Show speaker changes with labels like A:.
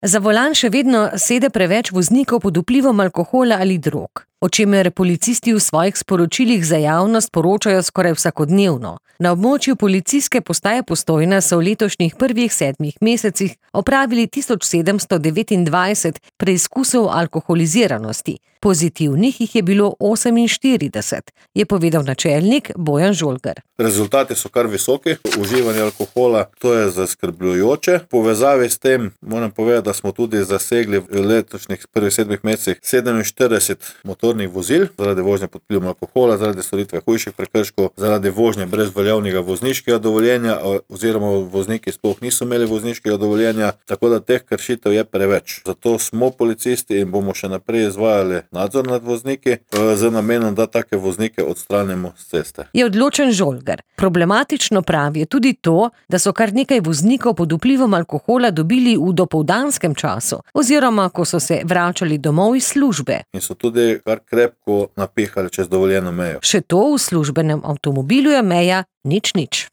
A: Za volan še vedno sede preveč voznikov pod vplivom alkohola ali drog, o čemer policisti v svojih sporočilih za javnost poročajo skoraj vsakodnevno. Na območju policijske postaje Postojna so v letošnjih prvih 7 mesecih opravili 1729 preizkusov alkoholiziranosti. Pozitivnih jih je bilo 48, je povedal načelnik Bojan Žolgar.
B: Rezultati so kar visoki, uživanje alkohola, to je zaskrbljujoče. V povezavi s tem moram povedati, da smo tudi zasegli v letošnjih prvih 7 mesecih 47 motornih vozil zaradi vožnje pod vplivom alkohola, zaradi storitve hujših prekrškov, zaradi vožnje brez veljavnega vozniškega dovoljenja oziroma vozniki sploh niso imeli vozniškega dovoljenja, tako da teh kršitev je preveč. Zato smo policisti in bomo še naprej izvajali nadzor nad vozniki z namenom, da take voznike odstranimo s ceste.
A: Je odločen Žolgar. Problematično pravi je tudi to, da so kar nekaj voznikov pod vplivom alkohola dobili v dopoldanskem času oziroma ko so se vračali domov iz službe.
B: In so tudi kar krepko napihali čez dovoljeno mejo.
A: Še to, v službenem avtomobilu je meja nič.